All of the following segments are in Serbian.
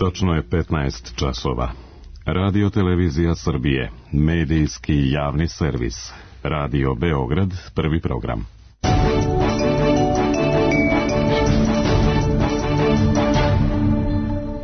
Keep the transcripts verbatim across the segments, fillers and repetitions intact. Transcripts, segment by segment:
Točno je petnaest časova. Radio Televizija Srbije, medijski javni servis. Radio Beograd, prvi program.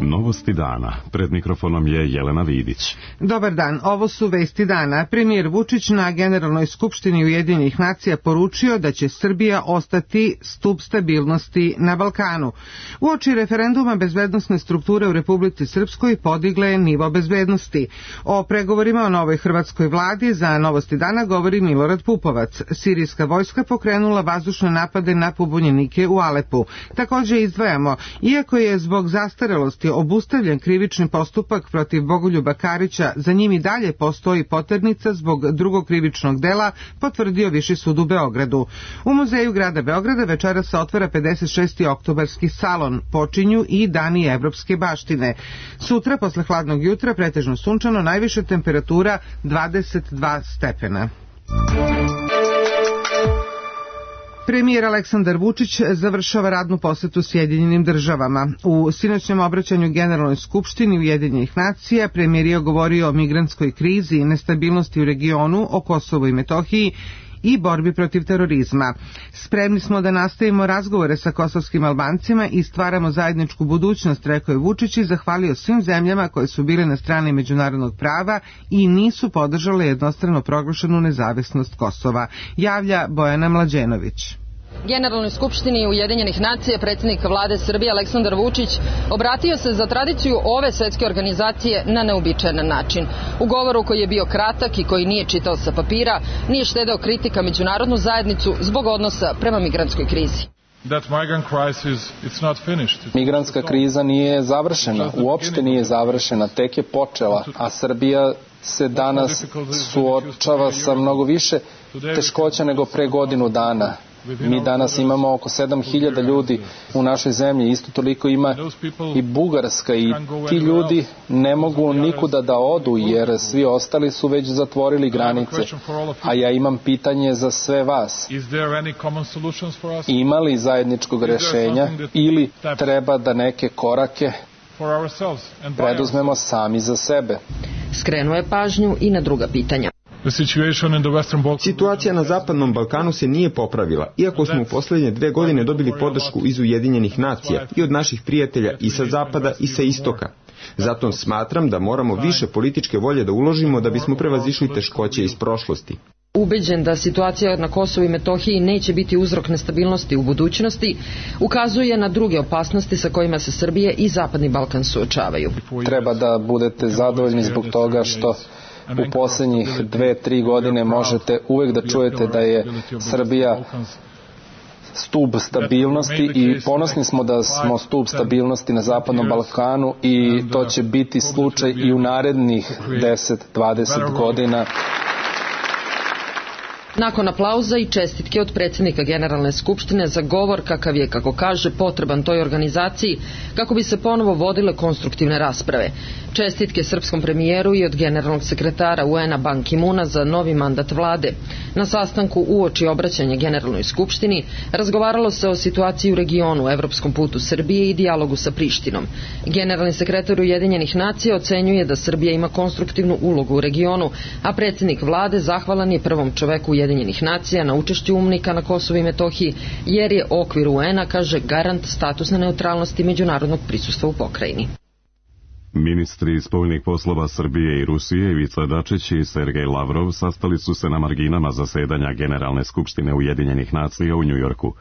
Novosti dana. Pred mikrofonom je Jelena Vidić. Dobar dan, ovo su vesti dana. Premijer Vučić na Generalnoj skupštini Ujedinjenih nacija poručio da će Srbija ostati stub stabilnosti na Balkanu. Uoči referenduma bezbednosne strukture u Republici Srpskoj podigle je nivo bezbednosti. O pregovorima o novoj hrvatskoj vladi za Novosti dana govori Milorad Pupovac. Sirijska vojska pokrenula vazdušne napade na pobunjenike u Alepu. Također izdvajamo, iako je zbog zastarelosti obustavljen krivični postupak protiv Bogoljuba Karića, za njim i dalje postoji poternica zbog drugog krivičnog dela, potvrdio Viši sud u Beogradu. U muzeju grada Beograda večeras se otvara pedeset šesti oktobarski salon. Počinju i dani evropske baštine. Sutra, posle hladnog jutra, pretežno sunčano, najviša temperatura dvadeset dva stepena. Premijer Aleksandar Vučić završava radnu posetu Sjedinjenim državama. U sinoćnom obraćanju Generalnoj skupštini Ujedinjenih nacija premijer je govorio o migrantskoj krizi i nestabilnosti u regionu, o Kosovu i Metohiji i borbi protiv terorizma. Spremni smo da nastavimo razgovore sa kosovskim Albancima i stvaramo zajedničku budućnost, rekao je Vučić i zahvalio svim zemljama koje su bile na strani međunarodnog prava i nisu podržale jednostrano proglašenu nezavisnost Kosova, javlja Bojana Mlađenović. Generalnoj skupštini Ujedinjenih nacija predsjednik vlade Srbije Aleksandar Vučić obratio se za tradiciju ove svetske organizacije na neobičajan način. U govoru koji je bio kratak i koji nije čitao sa papira, nije štedeo kritika međunarodnu zajednicu zbog odnosa prema migrantskoj krizi. Migrantska kriza nije završena, uopšte nije završena, tek je počela, a Srbija se danas suočava sa mnogo više teškoća nego pre godinu dana. Mi danas imamo oko sedam hiljada ljudi u našoj zemlji, isto toliko ima i Bugarska i ti ljudi ne mogu nikuda da odu jer svi ostali su već zatvorili granice. A ja imam pitanje za sve vas. Ima li zajedničkog rešenja ili treba da neke korake preduzmemo sami za sebe? Skrenuo je pažnju i na druga pitanja. Situacija na Zapadnom Balkanu se nije popravila, iako smo u posljednje dve godine dobili podršku iz Ujedinjenih nacija i od naših prijatelja i sa zapada i sa istoka. Zato smatram da moramo više političke volje da uložimo da bismo prevazišli teškoće iz prošlosti. Ubeđen da situacija na Kosovu i Metohiji neće biti uzrok nestabilnosti u budućnosti, ukazuje na druge opasnosti sa kojima se Srbije i Zapadni Balkan suočavaju. Treba da budete zadovoljni zbog toga što u posljednjih dve, tri godine možete uvek da čujete da je Srbija stub stabilnosti i ponosni smo da smo stub stabilnosti na Zapadnom Balkanu i to će biti slučaj i u narednih deset do dvadeset godina. Nakon aplauza i čestitke od predsjednika Generalne skupštine za govor kakav je, kako kaže, potreban toj organizaciji kako bi se ponovo vodile konstruktivne rasprave. Čestitke srpskom premijeru i od generalnog sekretara U N-a Ban Ki-muna za novi mandat vlade. Na sastanku uoči obraćanja Generalnoj skupštini razgovaralo se o situaciji u regionu, evropskom putu Srbije i dijalogu sa Prištinom. Generalni sekretar Ujedinjenih nacija ocenjuje da Srbija ima konstruktivnu ulogu u regionu, a predsjednik vlade zahvalan je prvom čoveku Ujedinjenih nacija na učešću UNMIK-a na Kosovu i Metohiji, jer je okvir U N-a, kaže, garant statusne neutralnosti međunarodnog prisustva u pokrajini. Ministri spoljnih poslova Srbije i Rusije Ivica Dačić i Sergej Lavrov sastali su se na marginama zasedanja Generalne skupštine Ujedinjenih nacija u Njujorku.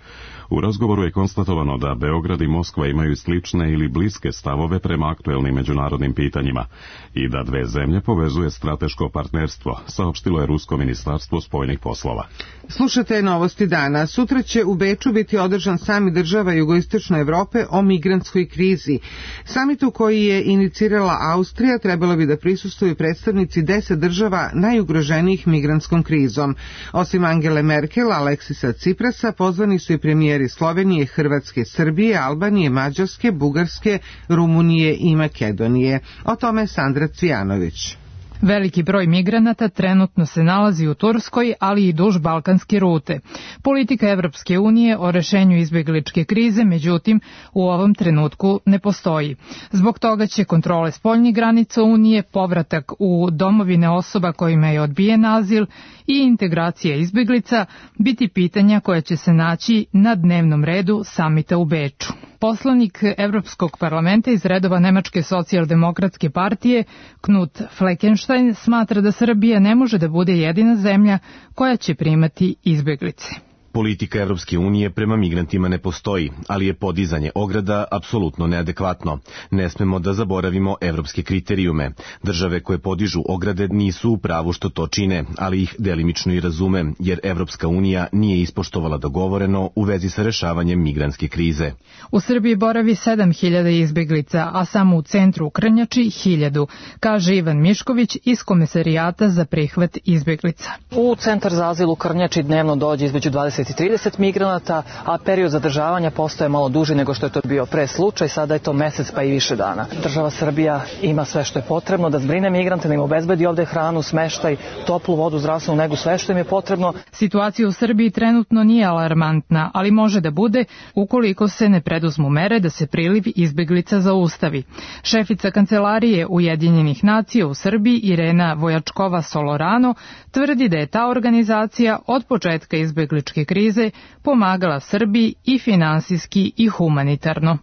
U razgovoru je konstatovano da Beograd i Moskva imaju slične ili bliske stavove prema aktuelnim međunarodnim pitanjima i da dve zemlje povezuje strateško partnerstvo, saopštilo je Rusko ministarstvo spoljnih poslova. Slušate Novosti dana. Sutra će u Beču biti održan samit država jugoistočne Evrope o migrantskoj krizi. Samitu koji je inicirala Austrija trebalo bi da prisustvuju predstavnici deset država najugroženijih migrantskom krizom. Osim Angele Merkel, Aleksisa Ciprasa, pozvani su i premijeri Slovenije, Hrvatske, Srbije, Albanije, Mađarske, Bugarske, Rumunije i Makedonije. O tome Sandra Cvijanović. Veliki broj migranata trenutno se nalazi u Turskoj, ali i duž balkanske rute. Politika Evropske unije o rešenju izbegličke krize, međutim, u ovom trenutku ne postoji. Zbog toga će kontrole spoljnih granica Unije, povratak u domovine osoba kojima je odbijen azil i integracija izbeglica biti pitanja koja će se naći na dnevnom redu samita u Beču. Poslanik Evropskog parlamenta iz redova Nemačke socijaldemokratske partije Knut Fleckenstein smatra da Srbija ne može da bude jedina zemlja koja će primati izbeglice. Politika Evropske unije prema migrantima ne postoji, ali je podizanje ograda apsolutno neadekvatno. Ne smemo da zaboravimo evropske kriterijume. Države koje podižu ograde nisu u pravu što to čine, ali ih delimično i razume, jer Evropska unija nije ispoštovala dogovoreno u vezi sa rešavanjem migrantske krize. U Srbiji boravi sedam hiljada izbeglica, a samo u centru u Krnjači hiljadu, kaže Ivan Mišković iz Komesarijata za prihvat izbeglica. U centar za azil u Krnjači dnevno dođe između dvadeset i trideset migranata, a period zadržavanja postaje malo duži nego što je to bio pre slučaj, sada je to mesec pa i više dana. Država Srbija ima sve što je potrebno da zbrine migrante, da im obezbedi ovde hranu, smeštaj, toplu vodu, zdravstvenu negu, sve što im je potrebno. Situacija u Srbiji trenutno nije alarmantna, ali može da bude ukoliko se ne preduzmu mere da se priliv izbeglica zaustavi. Šefica Kancelarije Ujedinjenih nacija u Srbiji Irena Vojačkova-Solorano tvrdi da je ta organizacija od početka izbegličke krize pomagala Srbiji i finansijski i humanitarno.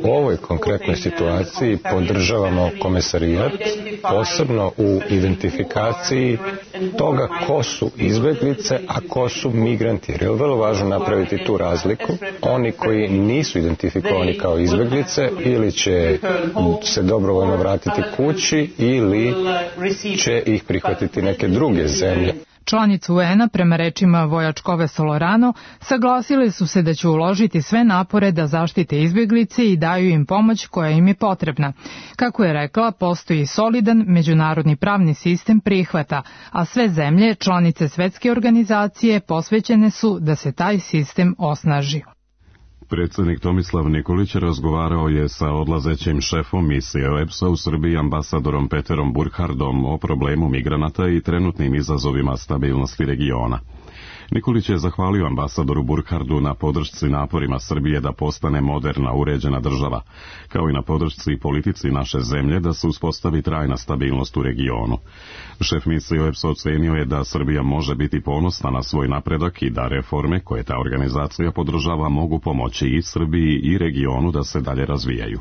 U ovoj konkretnoj situaciji podržavamo Komesarijat, posebno u identifikaciji toga ko su izbeglice, a ko su migranti. Jer je vrlo važno napraviti tu razliku. Oni koji nisu identifikovani kao izbeglice ili će se dobrovoljno vratiti kući ili će ih prihvatiti neke druge zemlje. Članice U N-a, prema rečima Vojačkove-Solorano, saglasile su se da će uložiti sve napore da zaštite izbeglice i daju im pomoć koja im je potrebna. Kako je rekla, postoji solidan međunarodni pravni sistem prihvata, a sve zemlje, članice svetske organizacije, posvećene su da se taj sistem osnaži. Predsjednik Tomislav Nikolić razgovarao je sa odlazećim šefom misije O E B S-a u Srbiji ambasadorom Peterom Burkhardom o problemu migranata i trenutnim izazovima stabilnosti regiona. Nikolić je zahvalio ambasadoru Burkhardu na podršci naporima Srbije da postane moderna, uređena država, kao i na podršci politici naše zemlje da se uspostavi trajna stabilnost u regionu. Šef misije O E B S ocenio je da Srbija može biti ponosna na svoj napredak i da reforme koje ta organizacija podržava mogu pomoći i Srbiji i regionu da se dalje razvijaju.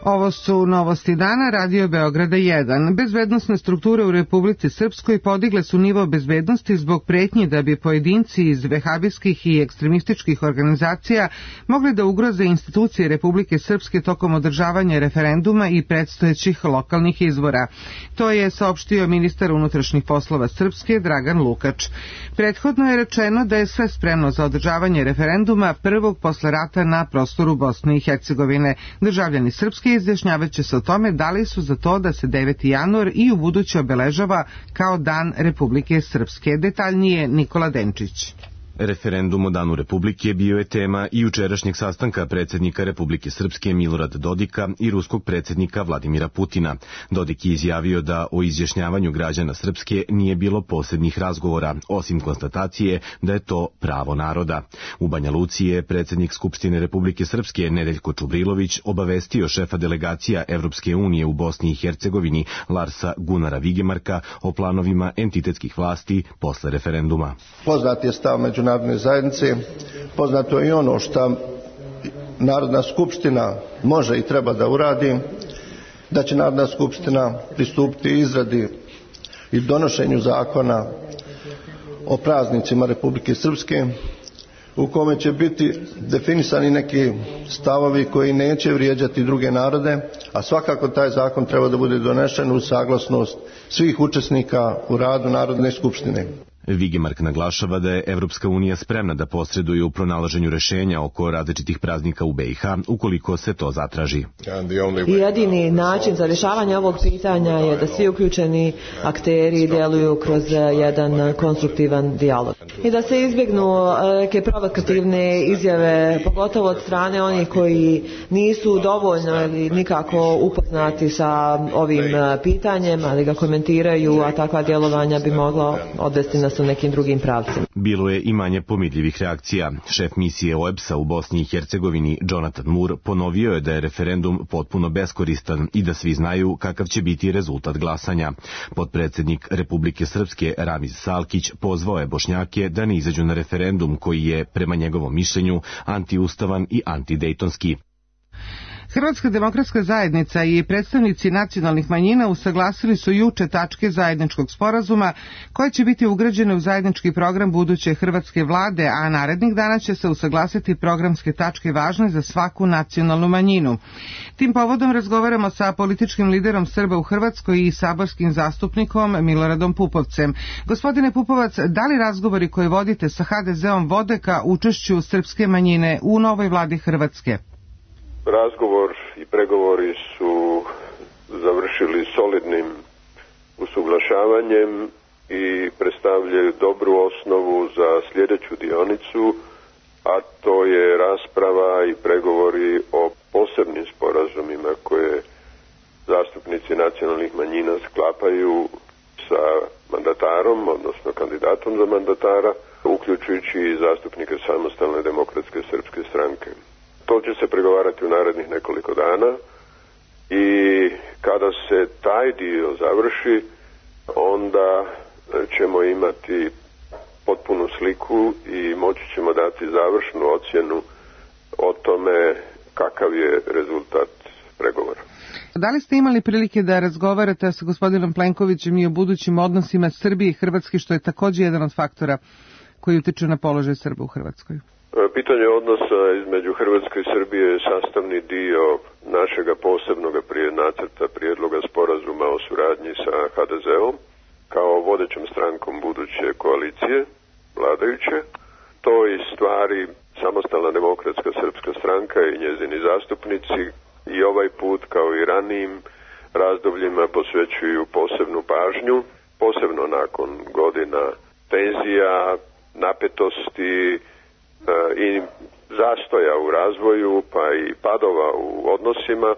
Ovo su novosti dana Radio Beograda jedan. Bezbednosne strukture u Republici Srpskoj podigle su nivo bezbednosti zbog pretnji da bi pojedinci iz vehabijskih i ekstremističkih organizacija mogli da ugroze institucije Republike Srpske tokom održavanja referenduma i predstojećih lokalnih izbora. To je saopštio ministar unutrašnjih poslova Srpske Dragan Lukač. Prethodno je rečeno da je sve spremno za održavanje referenduma prvog posle rata na prostoru Bosne i Hercegovine. Državljani Srpske izjašnjavat će se o tome da li su za to da se deveti januar i u buduće obeležava kao Dan Republike Srpske. Detaljnije Nikola Denčić. Referendum o Danu Republike bio je tema i jučerašnjeg sastanka predsjednika Republike Srpske Milorada Dodika i ruskog predsjednika Vladimira Putina. Dodik je izjavio da o izjašnjavanju građana Srpske nije bilo posebnih razgovora, osim konstatacije da je to pravo naroda. U Banja Luci je predsjednik Skupštine Republike Srpske Nedeljko Čubrilović obavestio šefa delegacija Evropske unije u Bosni i Hercegovini Larsa Gunara Vigemarka o planovima entitetskih vlasti posle referenduma. Poznat je stav međunarodne zajednice, poznato je i ono što Narodna skupština može i treba da uradi, da će Narodna skupština pristupiti izradi i donošenju zakona o praznicima Republike Srpske, u kome će biti definisani neki stavovi koji neće vrijeđati druge narode, a svakako taj zakon treba da bude donešen uz saglasnost svih učesnika u radu Narodne skupštine. Vigemark naglašava da je Evropska unija spremna da posreduje u pronalaženju rešenja oko različitih praznika u B i H, ukoliko se to zatraži. Jedini način za rješavanje ovog pitanja je da svi uključeni akteri djeluju kroz jedan konstruktivan dijalog. I da se izbjegnu neke provokativne izjave, pogotovo od strane onih koji nisu dovoljno ili nikako upoznati sa ovim pitanjem, ali ga komentiraju, a takva djelovanja bi moglo odvesti nas u nekim drugim pravcima. Bilo je i manje pomirljivih reakcija. Šef misije O E B S-a u Bosni i Hercegovini, Jonathan Moore, ponovio je da je referendum potpuno beskoristan i da svi znaju kakav će biti rezultat glasanja. Potpredsednik Republike Srpske Ramiz Salkić pozvao je Bošnjake da ne izađu na referendum koji je, prema njegovom mišljenju, antiustavan i antidejtonski. Hrvatska demokratska zajednica i predstavnici nacionalnih manjina usaglasili su juče tačke zajedničkog sporazuma koje će biti ugrađene u zajednički program buduće hrvatske vlade, a narednih dana će se usaglasiti programske tačke važne za svaku nacionalnu manjinu. Tim povodom razgovaramo sa političkim liderom Srba u Hrvatskoj i saborskim zastupnikom Miloradom Pupovcem. Gospodine Pupovac, da li razgovori koje vodite sa ha de ze-om vode ka učešću srpske manjine u novoj vladi Hrvatske? Razgovor i pregovori su završili solidnim usuglašavanjem i predstavljaju dobru osnovu za sljedeću dionicu, a to je rasprava i pregovori o posebnim sporazumima koje zastupnici nacionalnih manjina sklapaju sa mandatarom, odnosno kandidatom za mandatara, uključujući i zastupnike Samostalne demokratske srpske stranke. To će se pregovarati u narednih nekoliko dana i kada se taj dio završi, onda ćemo imati potpunu sliku i moći ćemo dati završnu ocjenu o tome kakav je rezultat pregovora. Da li ste imali prilike da razgovarate sa gospodinom Plenkovićem i o budućim odnosima Srbije i Hrvatske, što je također jedan od faktora koji utiče na položaj Srba u Hrvatskoj? Pitanje odnosa između Hrvatske i Srbije je sastavni dio našega posebnog prije nacrta prijedloga sporazuma o suradnji sa ha de ze-om kao vodećom strankom buduće koalicije vladajuće. To i stvari Samostalna demokratska srpska stranka i njezini zastupnici i ovaj put kao i ranijim razdobljima posvećuju posebnu pažnju, posebno nakon godina tenzija, napetosti i zastoja u razvoju pa i padova u odnosima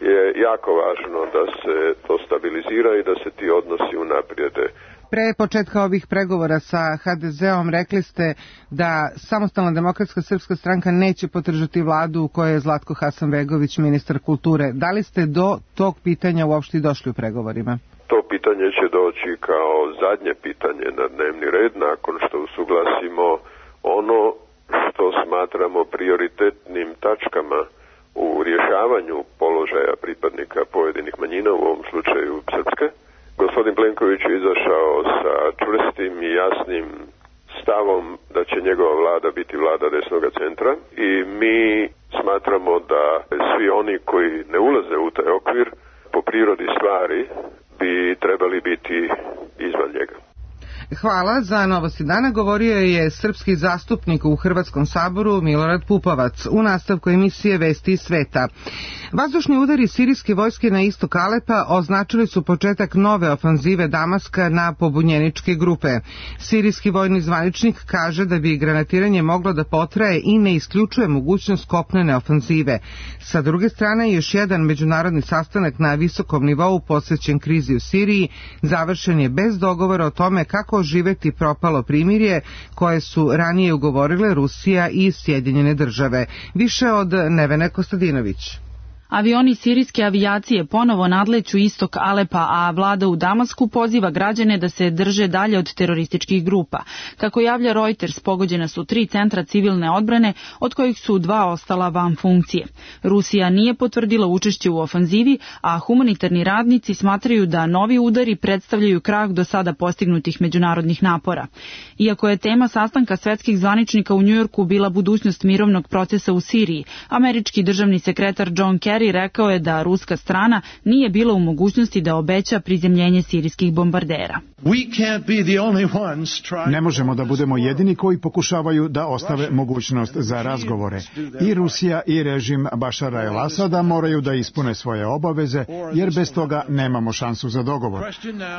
je jako važno da se to stabilizira i da se ti odnosi unaprijede. Pre početka ovih pregovora sa ha de ze-om rekli ste da Samostalna demokratska srpska stranka neće podržati vladu u kojoj je Zlatko Hasanbegović ministar kulture. Da li ste do tog pitanja uopšte došli u pregovorima? To pitanje će doći kao zadnje pitanje na dnevni red nakon što usuglasimo ono što smatramo prioritetnim tačkama u rješavanju položaja pripadnika pojedinih manjina, u ovom slučaju srpske. Gospodin Plenković je izašao sa čvrstim i jasnim stavom da će njegova vlada biti vlada desnoga centra i mi smatramo da svi oni koji ne ulaze u taj okvir po prirodi stvari bi trebali biti izvan njega. Hvala. Za Novosti dana govorio je srpski zastupnik u Hrvatskom saboru Milorad Pupovac u nastavku emisije Vesti iz sveta. Vazdušni udari sirijske vojske na istok Alepa označili su početak nove ofanzive Damaska na pobunjeničke grupe. Sirijski vojni zvaničnik kaže da bi granatiranje moglo da potraje i ne isključuje mogućnost kopnene ofanzive. Sa druge strane, još jedan međunarodni sastanak na visokom nivou posvećen krizi u Siriji završen je bez dogovora o tome kako oživeti propalo primirje koje su ranije ugovorile Rusija i Sjedinjene države. Više od Nevene Kostadinović. Avioni sirijske avijacije ponovo nadleću istok Alepa, a vlada u Damasku poziva građane da se drže dalje od terorističkih grupa. Kako javlja Reuters, pogođena su tri centra civilne odbrane, od kojih su dva ostala van funkcije. Rusija nije potvrdila učešće u ofanzivi, a humanitarni radnici smatraju da novi udari predstavljaju krah do sada postignutih međunarodnih napora. Iako je tema sastanka svetskih zvaničnika u Njujorku bila budućnost mirovnog procesa u Siriji, američki državni sekretar John Kerry Zangari rekao je da ruska strana nije bila u mogućnosti da obeća prizemljenje sirijskih bombardera. Ne možemo da budemo jedini koji pokušavaju da ostave mogućnost za razgovore. I Rusija i režim Bašara el-Asada moraju da ispune svoje obaveze, jer bez toga nemamo šansu za dogovor.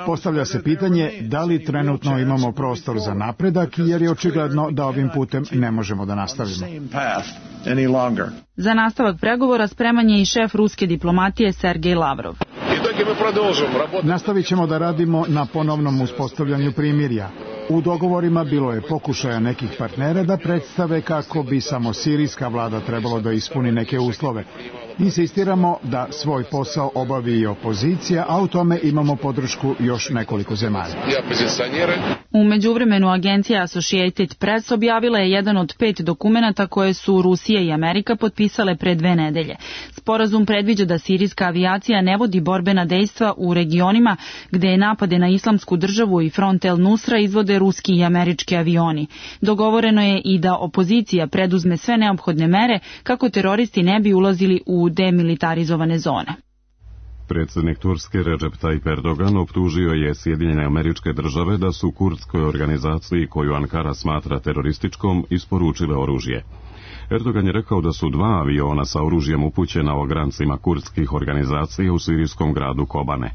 Postavlja se pitanje da li trenutno imamo prostor za napredak, jer je očigledno da ovim putem ne možemo da nastavimo. Za nastavak pregovora spreman je i šef ruske diplomatije Sergej Lavrov. Nastavit ćemo da radimo na ponovnom uspostavljanju primirja. U dogovorima bilo je pokušaja nekih partnera da predstave kako bi samo sirijska vlada trebalo da ispuni neke uslove. Insistiramo da svoj posao obavi i opozicija, a u tome imamo podršku još nekoliko zemalja. U međuvremenu agencija Associated Press objavila je jedan od pet dokumenata koje su Rusija i Amerika potpisale pre dve nedelje. Sporazum predviđa da sirijska avijacija ne vodi borbena dejstva u regionima gde je napade na islamsku državu i front El Nusra izvode ruski i američki avioni. Dogovoreno je i da opozicija preduzme sve neophodne mere kako teroristi ne bi ulazili u demilitarizovane zone. Predsjednik Turske Recep Tayyip Erdogan optužio je Sjedinjene Američke Države da su kurdskoj organizaciji koju Ankara smatra terorističkom isporučile oružje. Erdogan je rekao da su dva aviona sa oružjem upućena ograncima kurdskih organizacija u sirijskom gradu Kobane.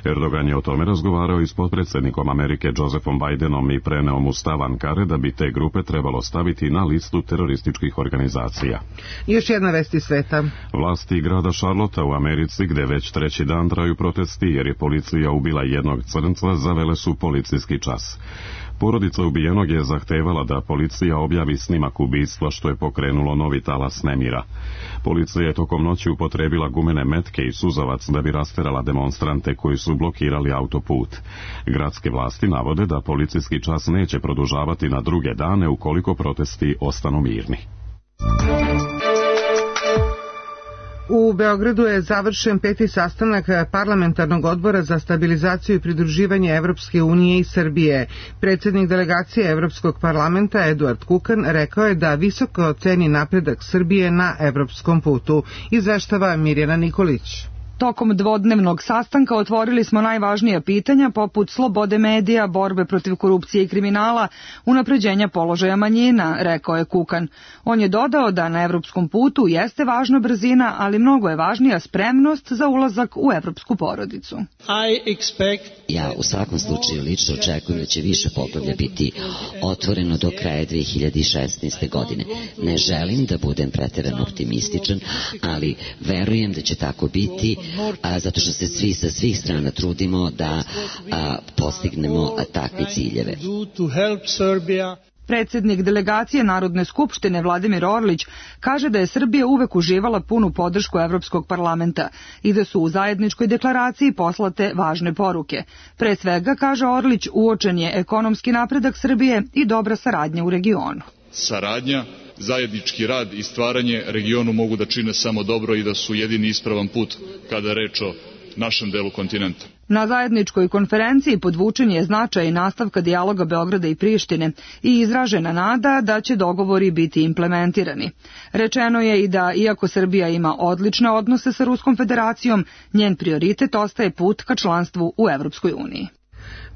Erdogan je o tome razgovarao i s potpredsjednikom Amerike Josephom Bidenom i preneo mu stav Ankare da bi te grupe trebalo staviti na listu terorističkih organizacija. Još jedna vest iz sveta. Vlasti grada Charlotta u Americi, gde već treći dan traju protesti jer je policija ubila jednog crnca, zavele su policijski čas. Porodica ubijenog je zahtevala da policija objavi snimak ubistva, što je pokrenulo novi talas nemira. Policija je tokom noći upotrebila gumene metke i suzavac da bi rasterala demonstrante koji su blokirali autoput. Gradske vlasti navode da policijski čas neće produžavati na druge dane ukoliko protesti ostanu mirni. U Beogradu je završen peti sastanak Parlamentarnog odbora za stabilizaciju i pridruživanje Evropske unije i Srbije. Predsjednik delegacije Evropskog parlamenta Eduard Kukan rekao je da visoko ceni napredak Srbije na evropskom putu. Izveštava Mirjana Nikolić. Tokom dvodnevnog sastanka otvorili smo najvažnija pitanja poput slobode medija, borbe protiv korupcije i kriminala, unapređenja položaja manjina, rekao je Kukan. On je dodao da na evropskom putu jeste važna brzina, ali mnogo je važnija spremnost za ulazak u evropsku porodicu. Ja u svakom slučaju lično očekujem da će više poglavlja biti otvoreno do kraja dve hiljade šesnaeste. godine. Ne želim da budem pretjerano optimističan, ali verujem da će tako biti, a, zato što se svi sa svih strana trudimo da a, postignemo a, takve ciljeve. Predsjednik delegacije Narodne skupštine Vladimir Orlić kaže da je Srbija uvek uživala punu podršku Evropskog parlamenta i da su u zajedničkoj deklaraciji poslate važne poruke. Pre svega, kaže Orlić, uočen je ekonomski napredak Srbije i dobra saradnja u regionu. Saradnja, zajednički rad i stvaranje regionu mogu da čine samo dobro i da su jedini ispravan put kada je reč o našem delu kontinenta. Na zajedničkoj konferenciji podvučen je značaj nastavka dijaloga Beograda i Prištine i izražena nada da će dogovori biti implementirani. Rečeno je i da, iako Srbija ima odlične odnose sa Ruskom federacijom, njen prioritet ostaje put ka članstvu u Evropskoj uniji.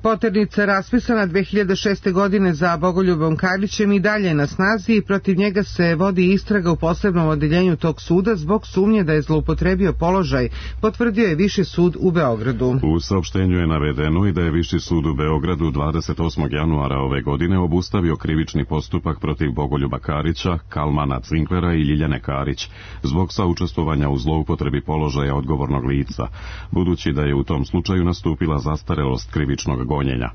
Poternica raspisana dve hiljade šeste. godine za Bogoljubom Karlićem i dalje na snazi i protiv njega se vodi istraga u posebnom odeljenju tog suda zbog sumnje da je zloupotrebio položaj, potvrdio je Viši sud u Beogradu. U saopštenju je navedeno i da je Viši sud u Beogradu dvadeset osmog januara ove godine obustavio krivični postupak protiv Bogoljuba Karića, Kalmana Cinklera i Ljiljane Karić zbog saučestvovanja u zloupotrebi položaja odgovornog lica, budući da je u tom slučaju nastupila zastarelost krivičnog gonjenja.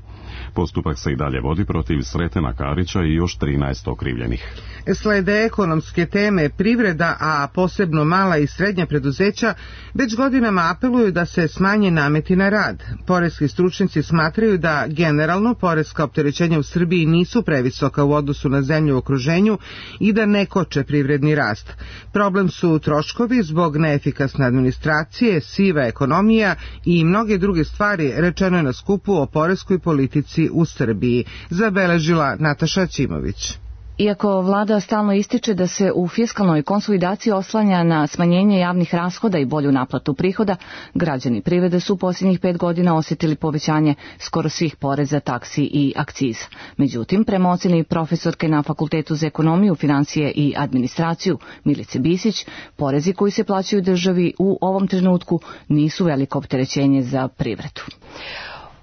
Postupak se i dalje vodi protiv Sretena Karića i još trinaest okrivljenih. Slede ekonomske teme. Privreda, a posebno mala i srednja preduzeća, već godinama apeluju da se smanje nameti na rad. Poreski stručnjaci smatraju da generalno poreska opterećenja u Srbiji nisu previsoka u odnosu na zemlju u okruženju i da ne koče privredni rast. Problem su troškovi zbog neefikasne administracije, siva ekonomija i mnoge druge stvari, rečeno je na skupu o poreskoj politici u Srbiji, zabeležila Nataša Ćimović. Iako vlada stalno ističe da se u fiskalnoj konsolidaciji oslanja na smanjenje javnih rashoda i bolju naplatu prihoda, građani privrede su u posljednjih pet godina osjetili povećanje skoro svih poreza, taksi i akciza. Međutim, prema ocjeni profesorke na Fakultetu za ekonomiju, financije i administraciju Milice Bisić, porezi koji se plaćaju državi u ovom trenutku nisu veliko opterećenje za privredu.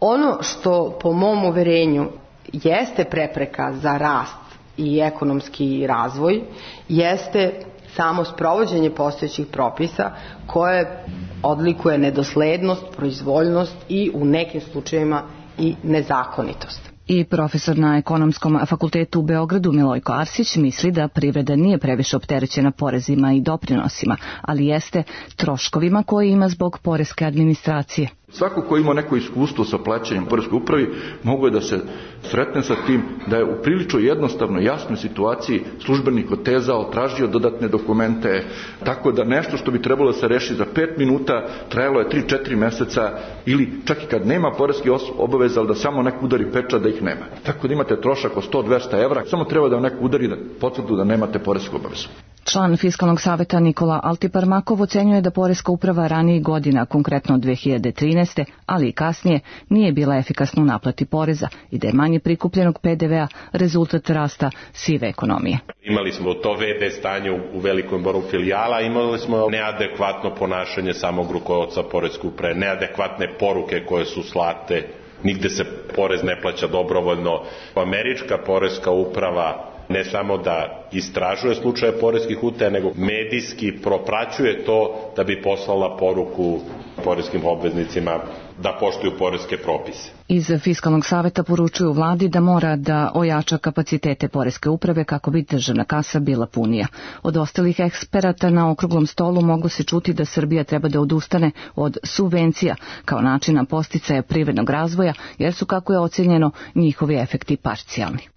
Ono što po mom uverenju jeste prepreka za rast i ekonomski razvoj jeste samo sprovođenje postojećih propisa koje odlikuje nedoslednost, proizvoljnost i u nekim slučajevima i nezakonitost. I profesor na Ekonomskom fakultetu u Beogradu Milojko Arsić misli da privreda nije previše opterećena porezima i doprinosima, ali jeste troškovima koje ima zbog poreske administracije. Svako ko ima neko iskustvo sa plaćanjem poreskoj upravi mogu je da se sretne sa tim da je u prilično jednostavno jasnoj situaciji službenik otezao, tražio dodatne dokumente, tako da nešto što bi trebalo da se reši za pet minuta trajalo je tri četiri meseca ili čak i kad nema poreski obaveza, ali da samo neko udari pečat da ih nema. Tako da imate trošak od sto do dvesta evra, samo treba da vam neko udari da potvrdu da nemate poresku obavezu. Član Fiskalnog saveta Nikola Altiparmakov ocenjuje da poreska uprava ranijih godina, konkretno dve hiljade trinaeste. ali i kasnije, nije bila efikasna u naplati poreza i da je manje prikupljenog pe de vea rezultat rasta sive ekonomije. Imali smo to ve de stanje u velikom broju filijala, imali smo neadekvatno ponašanje samog rukovodstva poreske uprave, neadekvatne poruke koje su slate, nigde se porez ne plaća dobrovoljno. Američka poreska uprava ne samo da istražuje slučaje poreskih utaja, nego medijski propraćuje to da bi poslala poruku poreskim obveznicima da poštuju poreske propise. Iz Fiskalnog saveta poručuju vladi da mora da ojača kapacitete poreske uprave kako bi državna kasa bila punija. Od ostalih eksperata na okruglom stolu mogu se čuti da Srbija treba da odustane od subvencija kao načina podsticaja privrednog razvoja, jer su, kako je ocenjeno, njihovi efekti parcijalni.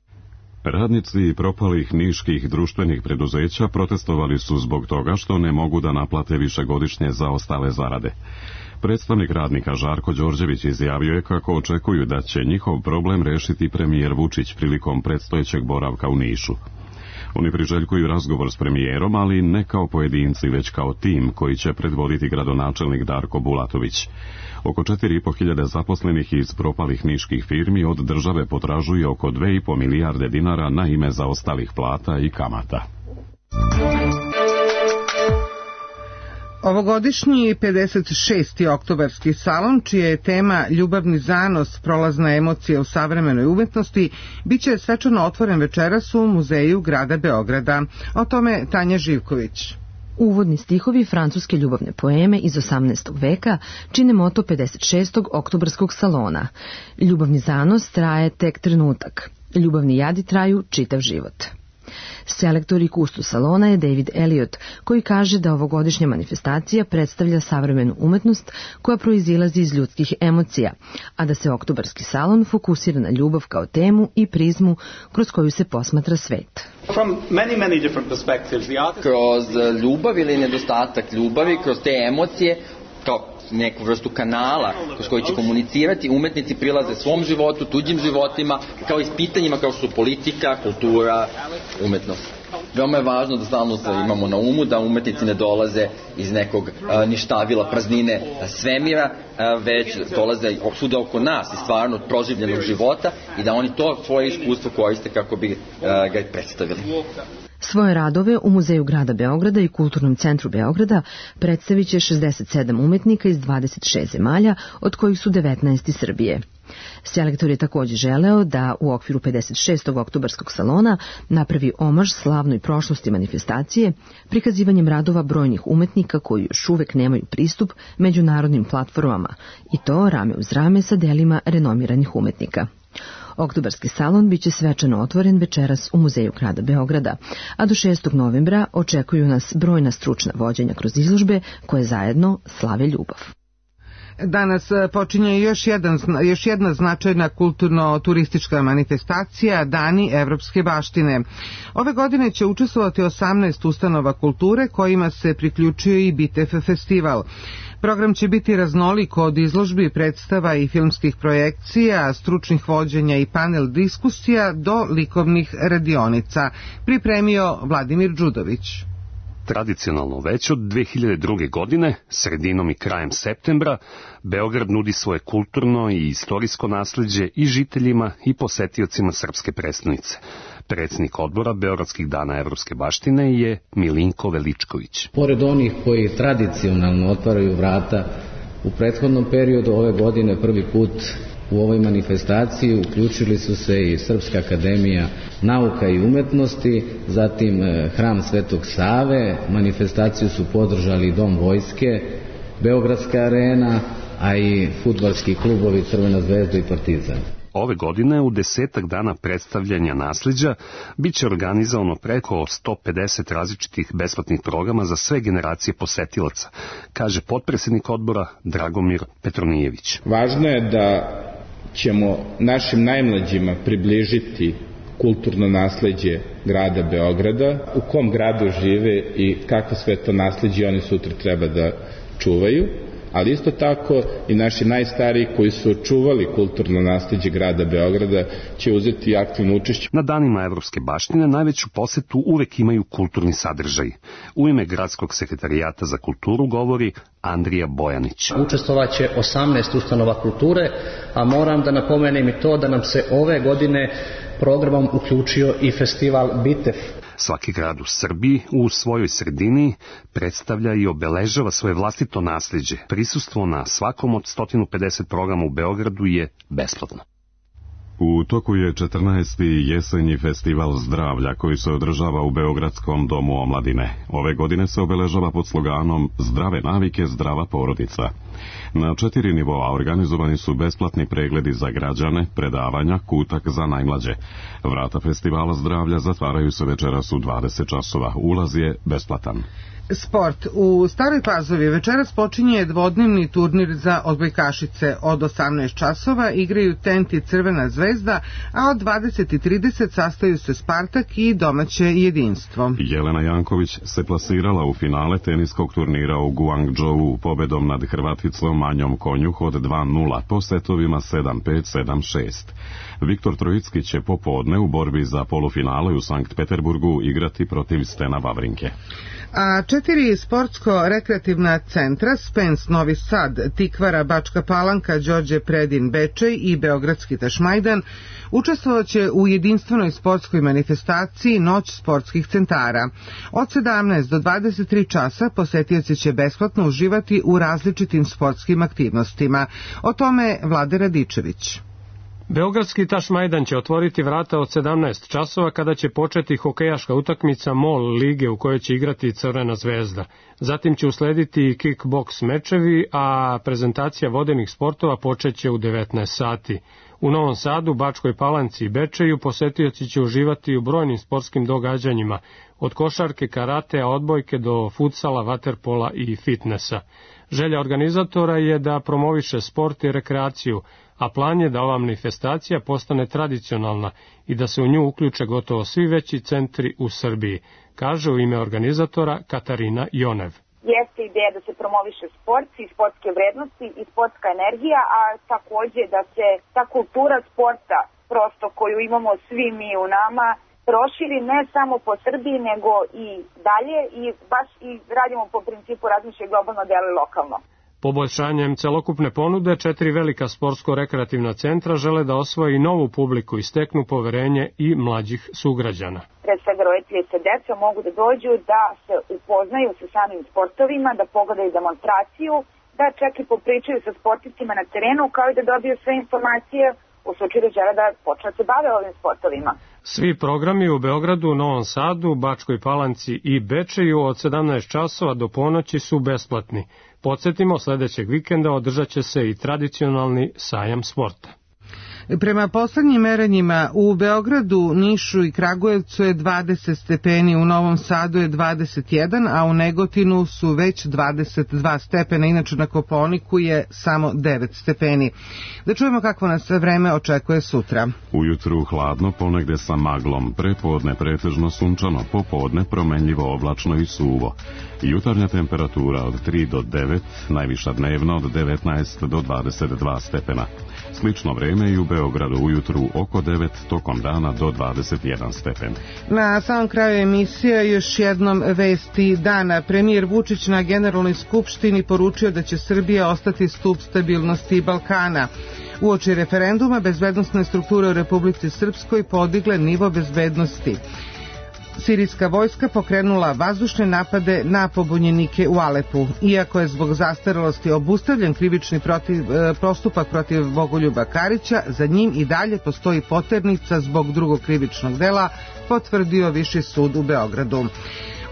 Radnici propalih niških društvenih preduzeća protestovali su zbog toga što ne mogu da naplate višegodišnje zaostale zarade. Predstavnik radnika Žarko Đorđević izjavio je kako očekuju da će njihov problem rešiti premijer Vučić prilikom predstojećeg boravka u Nišu. Oni priželjkuju razgovor s premijerom, ali ne kao pojedinci, već kao tim koji će predvoditi gradonačelnik Darko Bulatović. Oko četiri i po hiljade zaposlenih iz propalih niških firmi od države potražuje oko dve i po milijarde dinara na ime zaostalih plata i kamata. Ovogodišnji pedeset šesti oktobarski salon, čija je tema Ljubavni zanos, prolazna emocija u savremenoj umetnosti, bit će svečano otvoren večeras u Muzeju grada Beograda. O tome Tanja Živković. Uvodni stihovi francuske ljubavne poeme iz osamnaestog veka čine moto pedeset šestog oktobarskog salona. Ljubavni zanos traje tek trenutak. Ljubavni jadi traju čitav život. Selektor i kustos salona je David Elliot, koji kaže da ovogodišnja manifestacija predstavlja savremenu umetnost koja proizilazi iz ljudskih emocija, a da se oktobarski salon fokusira na ljubav kao temu i prizmu kroz koju se posmatra svet. Kroz ljubav ili nedostatak ljubavi, kroz te emocije, kao neku vrstu kanala kroz koji će komunicirati, umetnici prilaze svom životu, tuđim životima, kao i s pitanjima kao su politika, kultura, umetnost. Veoma je važno da stalno imamo na umu da umetnici ne dolaze iz nekog a, ništavila, praznine svemira, a, već dolaze svuda oko nas i stvarno od proživljenog života i da oni to svoje iskustvo koriste kako bi a, ga predstavili. Svoje radove u Muzeju grada Beograda i Kulturnom centru Beograda predstavit će šezdeset sedam umetnika iz dvadeset šest zemalja, od kojih su devetnaest iz Srbije. Selektor je također želeo da u okviru pedeset šestog oktobarskog salona napravi omaž slavnoj prošlosti manifestacije prikazivanjem radova brojnih umetnika koji još uvek nemaju pristup međunarodnim platformama, i to rame uz rame sa delima renomiranih umetnika. Oktobarski salon biće svečano otvoren večeras u Muzeju grada Beograda, a do šestog novembra očekuju nas brojna stručna vođenja kroz izložbe koje zajedno slave ljubav. Danas počinje još, jedan, još jedna značajna kulturno-turistička manifestacija, Dani evropske baštine. Ove godine će učestvovati osamnaest ustanova kulture kojima se priključuje i Bitev festival. Program će biti raznolik od izložbi, predstava i filmskih projekcija, stručnih vođenja i panel diskusija do likovnih radionica. Pripremio Vladimir Đudović. Tradicionalno već od dve hiljade druge. godine, sredinom i krajem septembra, Beograd nudi svoje kulturno i istorijsko nasleđe i žiteljima i posetiocima srpske prestonice. Predsjednik odbora Beogradskih dana evropske baštine je Milinko Veličković. Pored onih koji tradicionalno otvaraju vrata, u prethodnom periodu ove godine prvi put u ovoj manifestaciji uključili su se i Srpska akademija nauka i umetnosti, zatim Hram Svetog Save, manifestaciju su podržali Dom vojske, Beogradska arena, a i fudbalski klubovi Crvena zvezda i Partizan. Ove godine u desetak dana predstavljanja nasleđa bit će organizovano preko sto pedeset različitih besplatnih programa za sve generacije posetilaca, kaže potpredsjednik odbora Dragomir Petronijević. Važno je da ćemo našim najmlađima približiti kulturno nasleđe grada Beograda, u kom gradu žive i kako sve to nasleđe oni sutra treba da čuvaju, ali isto tako i naši najstariji koji su čuvali kulturno nasleđe grada Beograda će uzeti aktivno učešće. Na danima evropske baštine najveću posetu uvek imaju kulturni sadržaj. U ime Gradskog sekretarijata za kulturu govori Andrija Bojanić. Učestvovaće osamnaest ustanova kulture, a moram da napomenem i to da nam se ove godine programom uključio i festival Bitev. Svaki grad u Srbiji u svojoj sredini predstavlja i obeležava svoje vlastito nasleđe. Prisustvo na svakom od sto pedeset programa u Beogradu je besplatno. U toku je četrnaesti jesenji festival zdravlja koji se održava u Beogradskom domu omladine. Ove godine se obeležava pod sloganom Zdrave navike, zdrava porodica. Na četiri nivoa organizovani su besplatni pregledi za građane, predavanja, kutak za najmlađe. Vrata festivala zdravlja zatvaraju se večeras u dvadeset časova. Ulaz je besplatan. Sport. U Staroj Pazovi večeras počinje dvodnevni turnir za odbojkašice. Od osamnaest časova igraju Tent i Crvena zvezda, a od dvadeset i trideset sastaju se Spartak i domaće jedinstvo. Jelena Janković se plasirala u finale teniskog turnira u Guangzhou pobedom nad Hrvaticom Anjom Konjuh od dva nula po setovima sedam pet sedam šest. Viktor Trojicki će popodne u borbi za polufinale u Sankt Peterburgu igrati protiv Stena Vavrinke. A četiri sportsko-rekreativna centra, Spens Novi Sad, Tikvara Bačka Palanka, Đorđe Predin Bečej i Beogradski Tašmajdan, učestvovaće u jedinstvenoj sportskoj manifestaciji Noć sportskih centara. Od sedamnaest do dvadeset tri časa posetioci će besplatno uživati u različitim sportskim aktivnostima. O tome Vlade Radičević. Beogradski Tašmajdan će otvoriti vrata od sedamnaest časova kada će početi hokejaška utakmica MOL lige u kojoj će igrati Crvena zvezda. Zatim će uslediti i kickboks mečevi, a prezentacija vodenih sportova počeće u devetnaest sati. U Novom Sadu, Bačkoj Palanci i Bečeju posetioci će uživati u brojnim sportskim događanjima, od košarke, karatea, odbojke do futsala, vaterpola i fitnesa. Želja organizatora je da promoviše sport i rekreaciju, a plan je da ova manifestacija postane tradicionalna i da se u nju uključe gotovo svi veći centri u Srbiji, kaže u ime organizatora Katarina Jonev. Jeste ideja da se promoviše sport i sportske vrednosti i sportska energija, a takođe da se ta kultura sporta, prosto koju imamo svi mi u nama, proširi ne samo po Srbiji, nego i dalje i baš i radimo po principu razmišljaj globalno, deli lokalno. Poboljšanjem celokupne ponude, četiri velika sportsko-rekreativna centra žele da osvoje i novu publiku i steknu poverenje i mlađih sugrađana. Pre svega roditelji sa decom mogu da dođu da se upoznaju sa samim sportovima, da pogledaju demonstraciju, da čak i popričaju sa sportistima na terenu, kao i da dobiju sve informacije u slučaju da žele da počne da se bave ovim sportovima. Svi programi u Beogradu, Novom Sadu, Bačkoj Palanci i Bečeju od sedamnaest časova do ponoći su besplatni. Podsjetimo, sledećeg vikenda održat će se i tradicionalni sajam sporta. Prema poslednjim merenjima u Beogradu, Nišu i Kragujevcu je dvadeset stepeni, u Novom Sadu je dvadeset jedan, a u Negotinu su već dvadeset dva stepena, inače na Kopaoniku je samo devet stepeni. Da čujemo kakvo nas vreme očekuje sutra. Ujutru hladno, ponegde sa maglom, prepodne pretežno sunčano, popodne promenljivo oblačno i suvo. Jutarnja temperatura od tri do devet, najviša dnevna od devetnaest do dvadeset dva stepena. Slično vreme i u Beogradu ujutru oko devet, tokom dana do dvadeset jedan stepen. Na samom kraju emisije još jednom vesti dana. Premijer Vučić na Generalnoj skupštini poručio da će Srbija ostati stub stabilnosti Balkana. Uoči referenduma bezbednosne strukture u Republici Srpskoj podigle nivo bezbednosti. Sirijska vojska pokrenula vazdušne napade na pobunjenike u Alepu. Iako je zbog zastarelosti obustavljen krivični protiv, postupak protiv Bogoljuba Karića, za njim i dalje postoji poternica zbog drugog krivičnog dela, potvrdio Viši sud u Beogradu.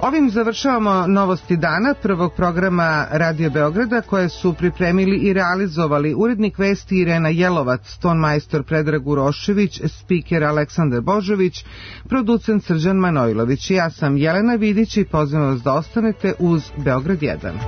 Ovim završavamo novosti dana prvog programa Radio Beograda koje su pripremili i realizovali urednik vesti Irena Jelovac, tonmajstor Predrag Urošević, spiker Aleksandar Božović, producent Srđan Manojlović. Ja sam Jelena Vidić i pozivam vas da ostanete uz Beograd jedan.